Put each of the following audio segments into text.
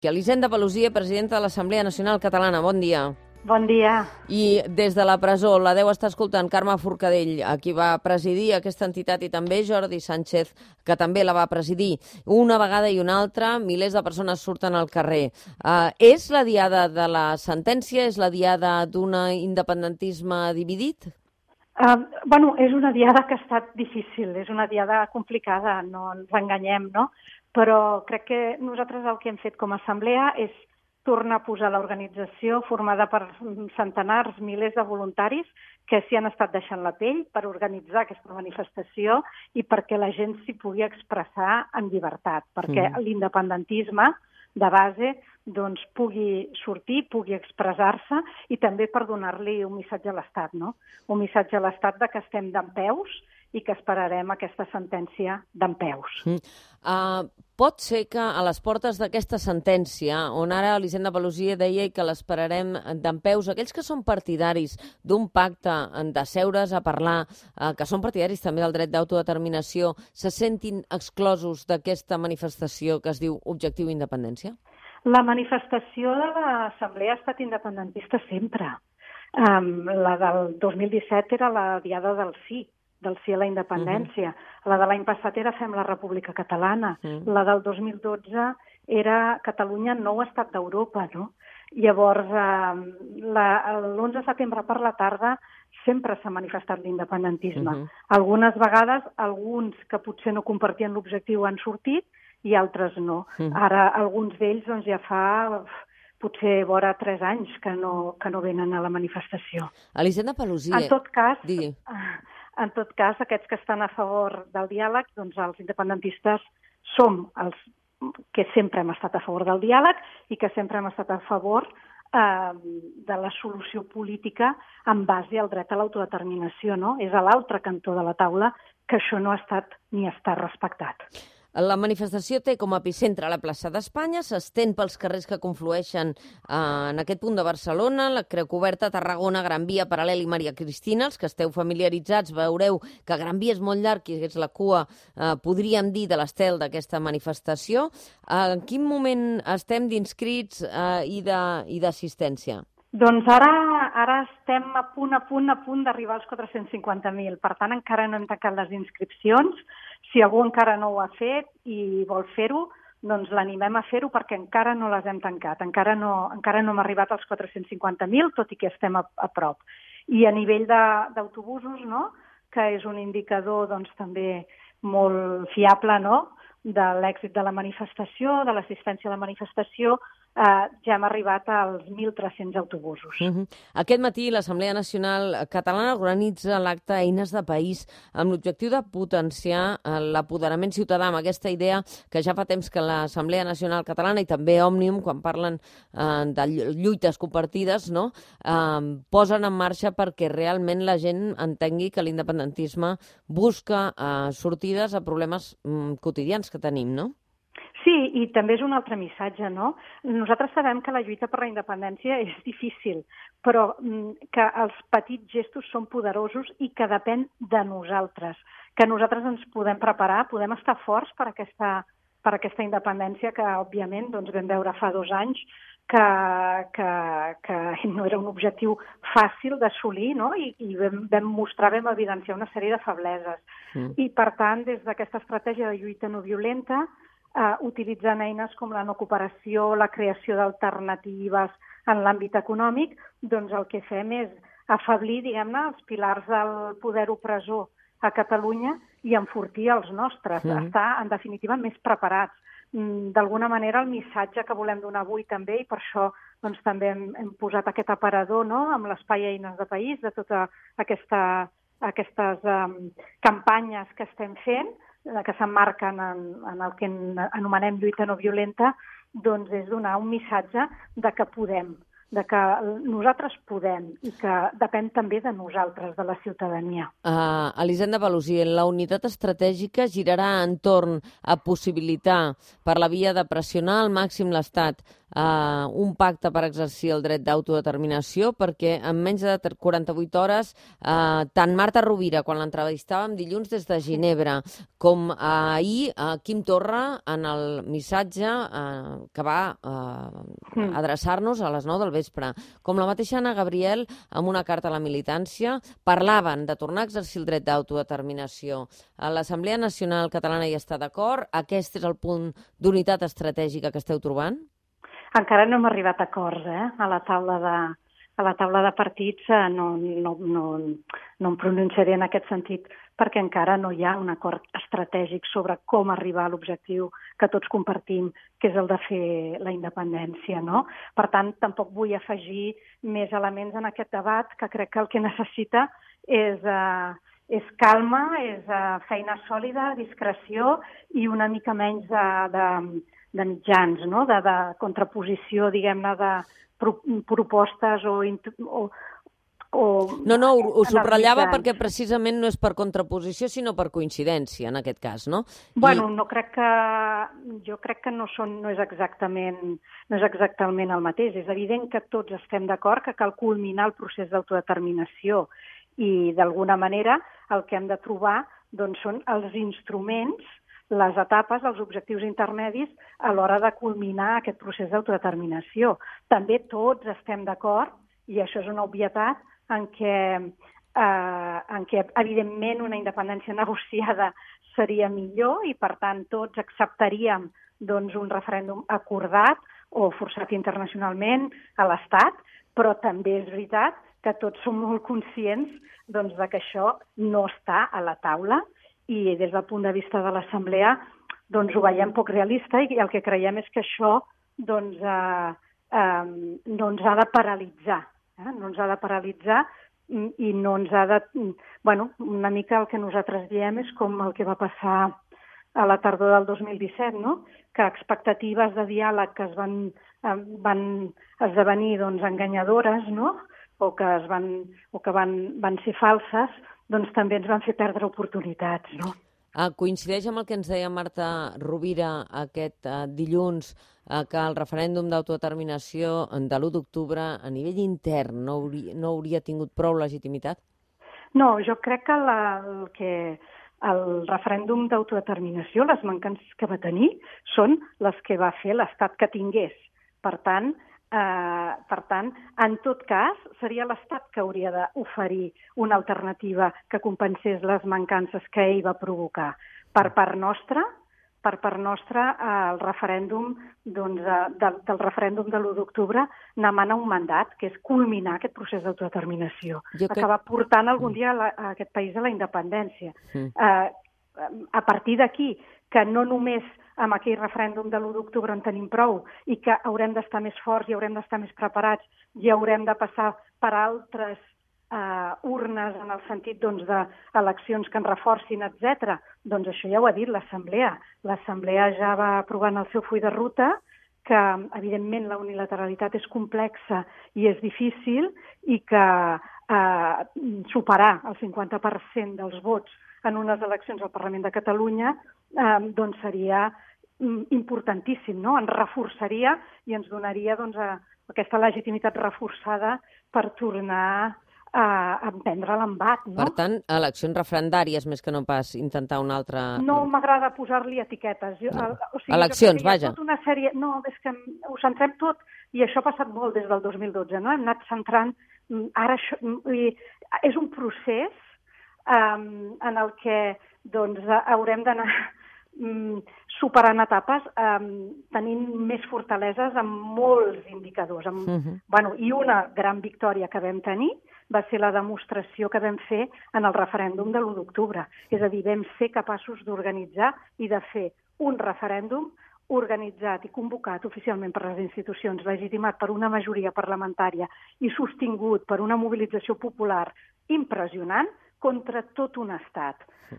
Elisenda Paluzie, presidenta de l'Assemblea Nacional Catalana. Bon dia. Bon dia. I des de la presó la deu estar escoltant Carme Forcadell, a qui va presidir aquesta entitat, i també Jordi Sánchez, que també la va presidir. Una vegada i una altra, milers de persones surten al carrer. És la diada de la sentència? És la diada d'un independentisme dividit? És una diada que ha estat difícil, és una diada complicada, no ens enganyem, no? Però crec que nosaltres el que hem fet com a assemblea és tornar a posar l'organització formada per centenars, milers de voluntaris que s'hi han estat deixant la pell per organitzar aquesta manifestació i perquè la gent s'hi pugui expressar en llibertat, perquè l'independentisme de base doncs, pugui sortir, pugui expressar-se i també per donar-li un missatge a l'Estat, no? Un missatge a l'Estat de que estem dempeus i que esperarem aquesta sentència dempeus. Pot ser que a les portes d'aquesta sentència, on ara Elisenda Paluzie deia que l'esperarem dempeus, aquells que són partidaris d'un pacte, de seure's a parlar, que són partidaris també del dret d'autodeterminació, se sentin exclosos d'aquesta manifestació que es diu Objectiu Independència? La manifestació de l'Assemblea ha estat independentista sempre. La del 2017 era la diada del sí a la independència. La de l'any passat era Fem la República Catalana. La del 2012 era Catalunya nou estat d'Europa, no? Llavors, l'11 de setembre per la tarda sempre s'ha manifestat l'independentisme. Algunes vegades, alguns que potser no compartien l'objectiu han sortit i altres no. Ara, alguns d'ells doncs, ja fa potser vora 3 anys que no venen a la manifestació. Elisenda Paluzie... En tot cas, aquests que estan a favor del diàleg, doncs els independentistes som els que sempre hem estat a favor del diàleg i que sempre hem estat a favor de la solució política en base al dret a l'autodeterminació, no? És a l'altre cantó de la taula que això no ha estat ni està respectat. La manifestació té com a epicentre la plaça d'Espanya, s'estén pels carrers que conflueixen en aquest punt de Barcelona, la Creu Coberta, Tarragona, Gran Via, Paral·lel i Maria Cristina. Els que esteu familiaritzats veureu que Gran Via és molt llarg i és la cua, podríem dir, de l'estel d'aquesta manifestació. En quin moment estem d'inscrits i d'assistència? Doncs ara estem a punt d'arribar als 450.000. Per tant, encara no hem tancat les inscripcions. Si algú encara no ho ha fet i vol fer-ho, doncs l'animem a fer-ho perquè encara no les hem tancat. Encara no hem arribat als 450.000, tot i que estem a prop. I a nivell d'autobusos, no?, que és un indicador doncs, també molt fiable, no?, de l'èxit de la manifestació, de l'assistència a la manifestació, ja hem arribat als 1.300 autobusos. Aquest matí l'Assemblea Nacional Catalana organitza l'acte Eines de País amb l'objectiu de potenciar l'apoderament ciutadà, amb aquesta idea que ja fa temps que l'Assemblea Nacional Catalana i també Òmnium, quan parlen de lluites compartides, no, posen en marxa perquè realment la gent entengui que l'independentisme busca sortides a problemes quotidians que tenim, no? Sí, i també és un altre missatge, no? Nosaltres sabem que la lluita per la independència és difícil, però que els petits gestos són poderosos i que depèn de nosaltres, que nosaltres ens podem preparar, podem estar forts per aquesta independència que, òbviament, doncs, vam veure fa 2 anys que no era un objectiu fàcil d'assolir, no? I vam evidenciar una sèrie de febleses. I, per tant, des d'aquesta estratègia de lluita no violenta, utilitzant eines com la no cooperació, la creació d'alternatives en l'àmbit econòmic, doncs el que fem és afeblir, diguem-ne, els pilars del poder opressor a Catalunya i enfortir els nostres, estar, en definitiva, més preparats. D'alguna manera, el missatge que volem donar avui també, i per això doncs, també hem posat aquest aparador, no?, amb l'espai Eines de País, de totes aquestes campanyes que estem fent, que s'emmarquen en el que anomenem lluita no violenta, doncs és donar un missatge de que podem, de que nosaltres podem i que depèn també de nosaltres, de la ciutadania. Elisenda Paluzie, la unitat estratègica girarà entorn a possibilitar, per la via de pressionar al màxim l'Estat, un pacte per exercir el dret d'autodeterminació, perquè en menys de 48 hores, tant Marta Rovira, quan l'entrevistàvem dilluns des de Ginebra, com ahir Quim Torra, en el missatge que va adreçar-nos a les 9 del vespre, com la mateixa Anna Gabriel, amb una carta a la militància, parlaven de tornar a exercir el dret d'autodeterminació. L'Assemblea Nacional Catalana hi està d'acord? Aquest és el punt d'unitat estratègica que esteu trobant? Encara no hem arribat a acords, A la taula de partits no em pronunciaré en aquest sentit, perquè encara no hi ha un acord estratègic sobre com arribar a l'objectiu que tots compartim, que és el de fer la independència, no? Per tant, tampoc vull afegir més elements en aquest debat, que crec que el que necessita és calma, és feina sòlida, discreció i una mica menys de mitjans, no? De contraposició, diguem-ne, de propostes No, ho subratllava perquè precisament no és per contraposició, sinó per coincidència, en aquest cas, no? Bueno, jo crec que no és exactament el mateix. És evident que tots estem d'acord que cal culminar el procés d'autodeterminació i, d'alguna manera, el que hem de trobar doncs, són els instruments, les etapes, els objectius intermedis a l'hora de culminar aquest procés d'autodeterminació. També tots estem d'acord, i això és una obvietat, en què, evidentment, una independència negociada seria millor i, per tant, tots acceptaríem doncs, un referèndum acordat o forçat internacionalment a l'Estat, però també és veritat que tots som molt conscients doncs, de que això no està a la taula i des del punt de vista de l'Assemblea doncs, ho veiem poc realista i el que creiem és que això doncs, no ens ha de paralitzar. No ens ha de paralitzar i no ens ha de... Bueno, una mica el que nosaltres diem és com el que va passar a la tardor del 2017, no? Que expectatives de diàleg que van esdevenir doncs, enganyadores, no? O que van ser falses, doncs també ens van fer perdre oportunitats, no? Coincideix amb el que ens deia Marta Rovira aquest dilluns, que el referèndum d'autodeterminació de l'1 d'octubre a nivell intern no hauria tingut prou legitimitat? No, jo crec que el referèndum d'autodeterminació, les mancances que va tenir, són les que va fer l'Estat que tingués. Per tant, en tot cas, seria l'Estat que hauria d'oferir una alternativa que compensés les mancances que ell va provocar. Per part nostra, el referèndum del referèndum de l'1 d'octubre n'emana un mandat, que és culminar aquest procés d'autodeterminació. Acabar portant algun dia a aquest país a la independència. A partir d'aquí, que no només amb aquell referèndum de l'1 d'octubre en tenim prou i que haurem d'estar més forts i haurem d'estar més preparats i haurem de passar per altres urnes en el sentit d'eleccions que ens reforcin, etc. Doncs això ja ho ha dit l'Assemblea. L'Assemblea ja va aprovar en el seu full de ruta que, evidentment, la unilateralitat és complexa i és difícil i que superar el 50% dels vots en unes eleccions al Parlament de Catalunya doncs seria importantíssim, no? Ens reforçaria i ens donaria aquesta legitimitat reforçada per tornar a emprendre l'embat, no? Per tant, eleccions referendàries més que no pas intentar una altra... No m'agrada posar-li etiquetes. Eleccions, vaja. Tota una sèrie... No, és que ho centrem tot, i això ha passat molt des del 2012, no? Hem anat centrant... Ara és un procés en el que haurem d'anar superant etapes, tenint més fortaleses amb molts indicadors. I una gran victòria que vam tenir va ser la demostració que vam fer en el referèndum de l'1 d'octubre. És a dir, vam ser capaços d'organitzar i de fer un referèndum organitzat i convocat oficialment per les institucions, legitimat per una majoria parlamentària i sostingut per una mobilització popular impressionant contra tot un estat.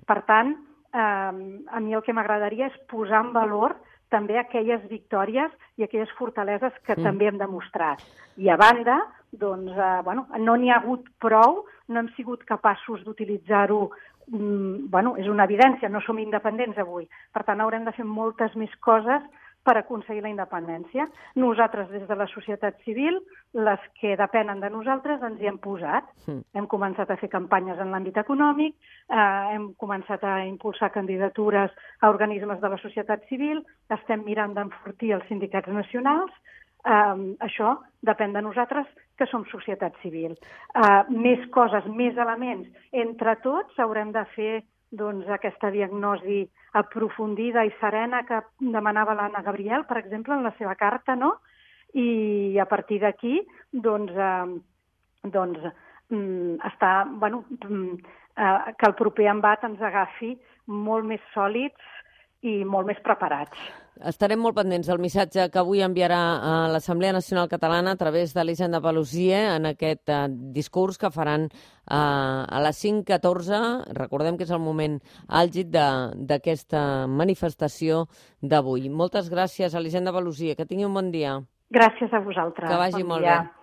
Per tant, a mi el que m'agradaria és posar en valor també aquelles victòries i aquelles fortaleses que també hem demostrat. I a banda, doncs, no n'hi ha hagut prou, no hem sigut capaços d'utilitzar-ho, és una evidència, no som independents avui. Per tant, haurem de fer moltes més coses per aconseguir la independència. Nosaltres, des de la societat civil, les que depenen de nosaltres, ens hi hem posat. Hem començat a fer campanyes en l'àmbit econòmic, hem començat a impulsar candidatures a organismes de la societat civil, estem mirant d'enfortir els sindicats nacionals. Això depèn de nosaltres, que som societat civil. Més coses, més elements. Entre tots haurem de fer aquesta diagnosi aprofundida i serena que demanava l'Anna Gabriel, per exemple, en la seva carta, no? I a partir d'aquí, que el proper embat ens agafi molt més sòlids i molt més preparats. Estarem molt pendents del missatge que avui enviarà a l'Assemblea Nacional Catalana a través d'Elisenda Paluzie en aquest discurs que faran a les 5:14. Recordem que és el moment àlgid d'aquesta manifestació d'avui. Moltes gràcies, Elisenda Paluzie. Que tingui un bon dia. Gràcies a vosaltres. Que vagi molt bé.